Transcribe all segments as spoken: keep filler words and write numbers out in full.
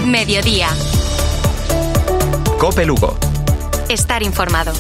Mediodía. COPE Lugo. Estar informado.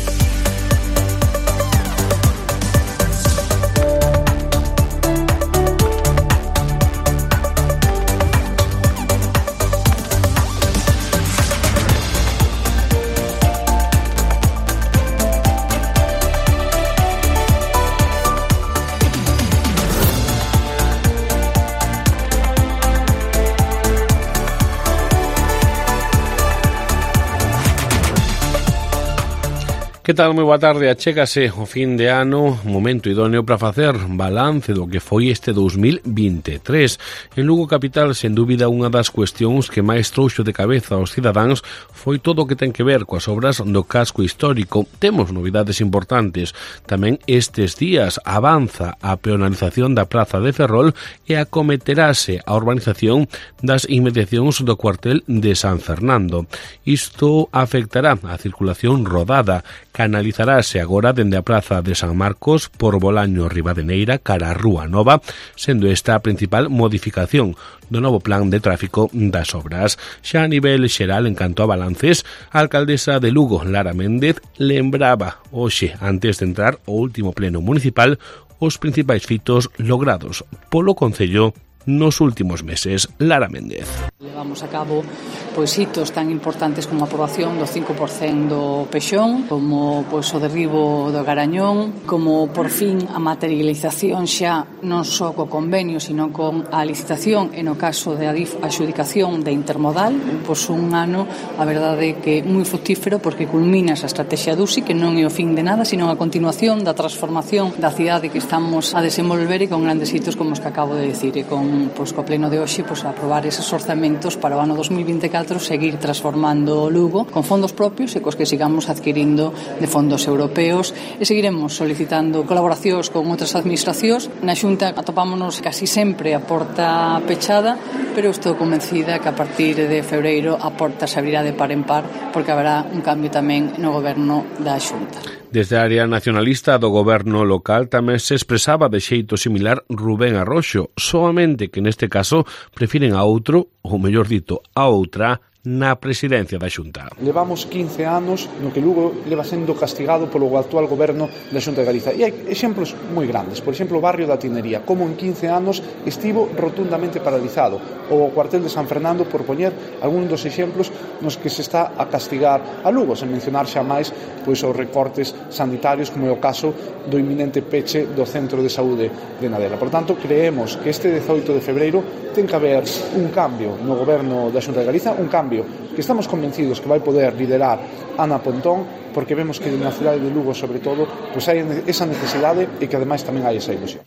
Que tal? Moi boa tarde. Achégase o fin de ano, momento idóneo para facer balance do que foi este dos mil vinte e tres. En Lugo Capital, sen dúbida, unha das cuestións que máis trouxo de cabeza aos cidadáns foi todo o que ten que ver coas obras do casco histórico. Temos novidades importantes. Tamén estes días avanza a peonalización da Praza de Ferrol e acometerase a urbanización das inmediacións do cuartel de San Fernando. Isto afectará a circulación rodada. Canalizarase agora dende a Praza de San Marcos por Bolaño Ribadeneira cara a Rúa Nova, sendo esta a principal modificación do novo plan de tráfico das obras. Xa a nivel xeral, en canto a balances, a alcaldesa de Lugo, Lara Méndez, lembraba hoxe, antes de entrar o último pleno municipal, os principais fitos logrados polo Concello nos últimos meses. Lara Méndez. Levamos a cabo pois hitos tan importantes como a aprobación do cinco por cento do Pexón, como pois o derribo do Garañón, como por fin a materialización xa non só co convenio, sino con a licitación e no caso de adxudicación de intermodal. Pois un ano, a verdade que moi fructífero, porque culmina esa estrategia D U S I, que non é o fin de nada, sino a continuación da transformación da cidade que estamos a desenvolver, e con grandes hitos como os que acabo de decir, e con pois co pleno de hoxe pois a aprobar eses orzamentos para o ano dos mil vinte e catro, seguir transformando Lugo con fondos propios e cos que sigamos adquirindo de fondos europeos, e seguiremos solicitando colaboracións con outras administracións. Na Xunta atopámonos casi sempre a porta pechada, pero estou convencida que a partir de febreiro a porta se abrirá de par en par, porque haberá un cambio tamén no goberno da Xunta. Desde a área nacionalista do goberno local tamén se expresaba de xeito similar Rubén Arroxo, soamente que neste caso prefiren a outro, ou mellor dito, a outra, na presidencia da Xunta. Levamos quince anos no que Lugo leva sendo castigado polo actual goberno da Xunta de Galiza. E hai exemplos moi grandes. Por exemplo, o barrio da Tinería, como en quince anos estivo rotundamente paralizado. O cuartel de San Fernando, por poñer algún dos exemplos nos que se está a castigar a Lugo, sen mencionar xa máis pois, os recortes sanitarios, como é o caso do inminente peche do Centro de Saúde de Nadela. Por tanto, creemos que este dezoito de febreiro ten que haber un cambio no goberno da Xunta de Galiza, un cambio que estamos convencidos que vai poder liderar Ana Pontón, porque vemos que na cidade de Lugo, sobre todo, pois hai esa necesidade e que ademais tamén hai esa ilusión.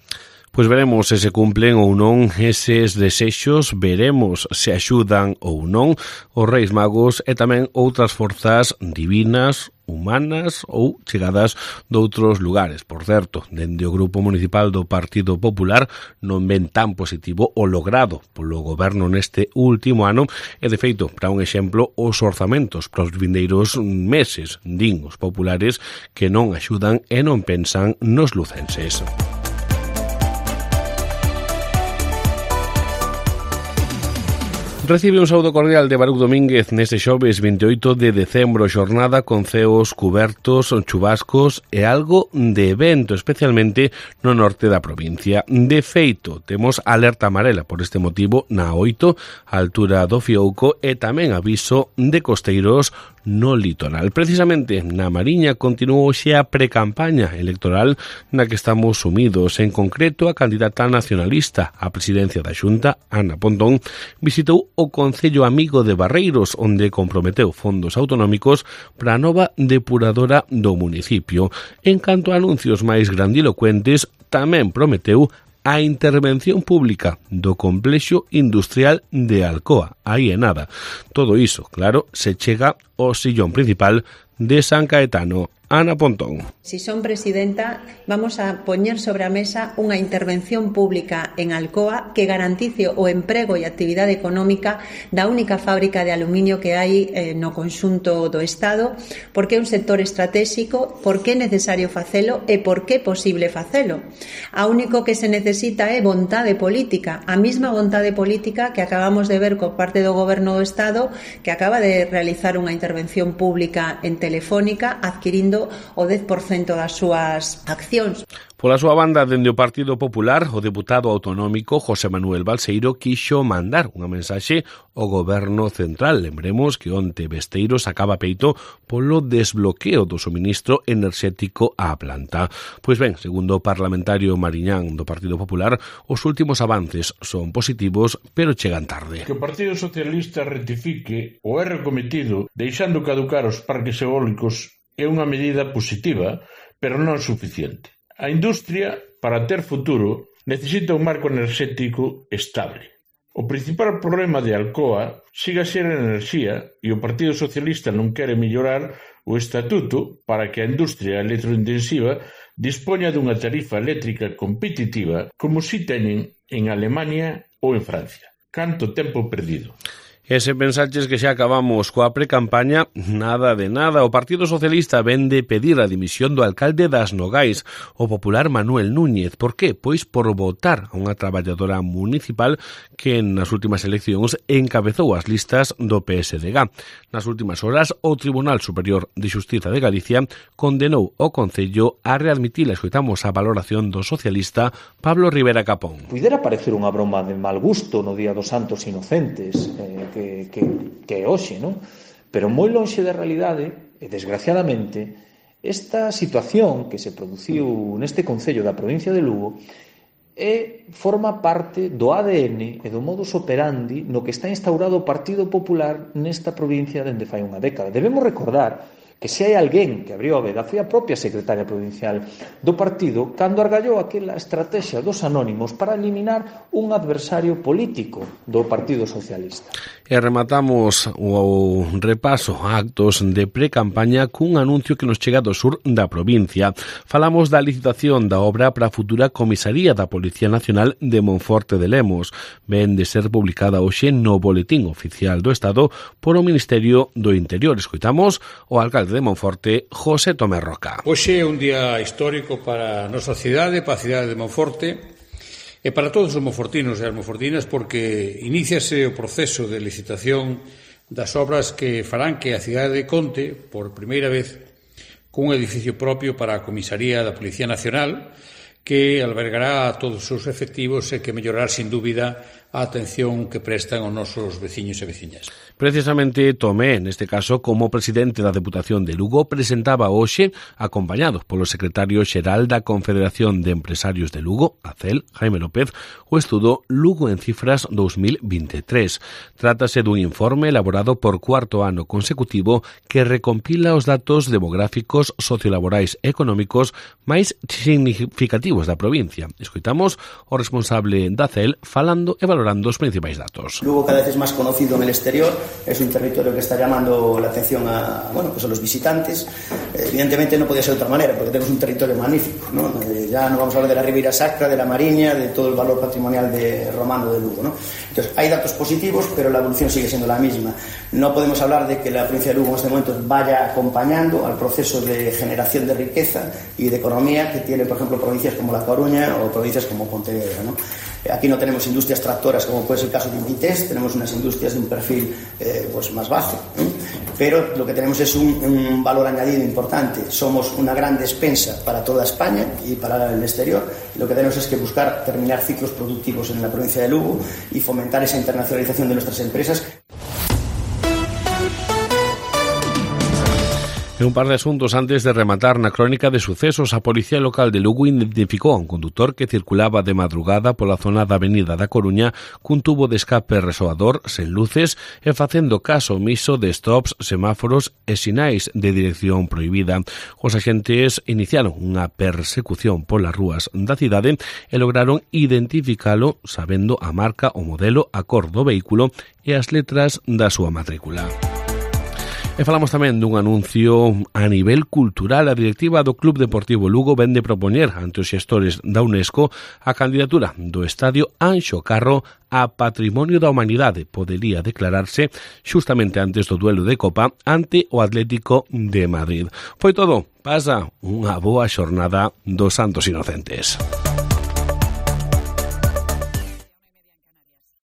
Pois veremos se se cumplen ou non eses desexos, veremos se axudan ou non os Reis Magos e tamén outras forzas divinas, humanas ou chegadas de outros lugares. Por certo, dende o Grupo Municipal do Partido Popular non ven tan positivo o logrado polo goberno neste último ano e, de feito, para un exemplo, os orzamentos para os vindeiros meses, din os populares, que non axudan e non pensan nos lucenses. Recibe un saúdo cordial de Baruch Domínguez neste xoves vinte e oito de decembro, xornada con ceos cubertos, chubascos e algo de vento, especialmente no norte da provincia. De feito, temos alerta amarela por este motivo na oito, a altura do Fiouco, e tamén aviso de costeiros no litoral. Precisamente na Mariña continuou xa a precampaña electoral na que estamos sumidos. En concreto, a candidata nacionalista á presidencia da Xunta, Ana Pontón, visitou o Concello Amigo de Barreiros, onde comprometeu fondos autonómicos para a nova depuradora do municipio. En canto a anuncios máis grandilocuentes, tamén prometeu a intervención pública do complexo industrial de Alcoa. Aí é nada. Todo iso, claro, se chega ao sillón principal de San Caetano Ana Pontón. Si son presidenta, vamos a poñer sobre a mesa unha intervención pública en Alcoa que garantice o emprego e actividade económica da única fábrica de aluminio que hai eh, no conxunto do Estado, porque é un sector estratégico, por que é necesario facelo e por que é posible facelo. A único que se necesita é vontade política, a mesma vontade política que acabamos de ver por parte do Goberno do Estado, que acaba de realizar unha intervención pública en Telefónica adquirindo o dez por cento das súas accións. Pola súa banda, dende o Partido Popular, o deputado autonómico José Manuel Balseiro quixo mandar unha mensaxe ao Goberno Central. Lembremos que onte Besteiro sacaba peito polo desbloqueo do suministro enerxético á planta. Pois ben, segundo o parlamentario Mariñán do Partido Popular, os últimos avances son positivos, pero chegan tarde. Que o Partido Socialista rectifique o erro cometido deixando caducar os parques eólicos é unha medida positiva, pero non suficiente. A industria, para ter futuro, necesita un marco enerxético estable. O principal problema de Alcoa siga a ser a enerxía e o Partido Socialista non quere mellorar o estatuto para que a industria electrointensiva dispoña dunha tarifa eléctrica competitiva como si teñen en Alemania ou en Francia. Canto tempo perdido. E se pensaches que xa acabamos coa precampaña, nada de nada. O Partido Socialista vende pedir a dimisión do alcalde das Nogais, o popular Manuel Núñez. Por qué? Pois por votar a unha traballadora municipal que nas últimas eleccións encabezou as listas do P S D G. Nas últimas horas, o Tribunal Superior de Xustiza de Galicia condenou o Concello a readmitir. Escoitamos a valoración do socialista Pablo Rivera Capón. Puidera parecer unha broma de mal gusto no Día dos Santos Inocentes, eh, que, que, que é hoxe, non? Pero moi lonxe da realidade, e desgraciadamente, esta situación que se produciu neste Concello da provincia de Lugo é, forma parte do A D N e do modus operandi no que está instaurado o Partido Popular nesta provincia dende fai unha década. Debemos recordar que se hai alguén que abriu a veda foi a propia secretaria provincial do partido cando argallou aquela estrategia dos anónimos para eliminar un adversario político do Partido Socialista. E rematamos o repaso a actos de pre-campaña cun anuncio que nos chega do sur da provincia. Falamos da licitación da obra para a futura comisaría da Policía Nacional de Monforte de Lemos. Ven de ser publicada hoxe no Boletín Oficial do Estado por o Ministerio do Interior. Escoitamos o alcalde de Monforte, José Tomé Roca. Hoxe é un día histórico para a nosa cidade, para a cidade de Monforte e para todos os monfortinos e as monfortinas, porque iníciase o proceso de licitación das obras que farán que a cidade conte por primeira vez cun edificio propio para a comisaría da Policía Nacional que albergará a todos os seus efectivos e que mellorará sin dúbida a atención que prestan aos nosos veciños e veciñas. Precisamente Tomé, neste caso, como presidente da Deputación de Lugo, presentaba hoxe, acompañado polo secretario xeral da Confederación de Empresarios de Lugo, a C E L, Jaime López, o estudo Lugo en Cifras dos mil veintitrés. Trátase dun informe elaborado por cuarto ano consecutivo que recompila os datos demográficos, sociolaborais e económicos máis significativos da provincia. Escoitamos o responsable da C E L falando e valorando os principais datos. Lugo cada vez es más conocido en el exterior, es un territorio que está llamando la atención a, bueno, pues a los visitantes. Evidentemente no podía ser de otra manera, porque tenemos un territorio magnífico, ¿no? Eh, ya no vamos a hablar de la Ribeira Sacra, de la Mariña, de todo el valor patrimonial de romano de Lugo, ¿no? Entonces hay datos positivos, pero la evolución sigue siendo la misma. No podemos hablar de que la provincia de Lugo en este momento vaya acompañando al proceso de generación de riqueza y de economía que tiene, por ejemplo, provincias como La Coruña o provincias como Pontevedra, ¿no? Aquí no tenemos industrias tractoras como puede ser el caso de Inditex, tenemos unas industrias de un perfil eh, pues más bajo, ¿eh? Pero lo que tenemos es un, un valor añadido importante. Somos una gran despensa para toda España y para el exterior. Lo que tenemos es que buscar terminar ciclos productivos en la provincia de Lugo y fomentar esa internacionalización de nuestras empresas. En un par de asuntos antes de rematar na crónica de sucesos, a Policía Local de Lugo identificou a un condutor que circulaba de madrugada pola zona da Avenida da Coruña cun tubo de escape resoador sen luces e facendo caso omiso de stops, semáforos e sinais de dirección prohibida. Os agentes iniciaron unha persecución polas rúas da cidade e lograron identificalo sabendo a marca, o modelo, a cor do vehículo e as letras da súa matrícula. E falamos tamén dun anuncio a nivel cultural. A directiva do Club Deportivo Lugo vende propoñer ante os xestores da UNESCO a candidatura do estadio Anxo Carro a Patrimonio da Humanidade. Podería declararse xustamente antes do duelo de Copa ante o Atlético de Madrid. Foi todo. Pasa unha boa xornada dos Santos Inocentes.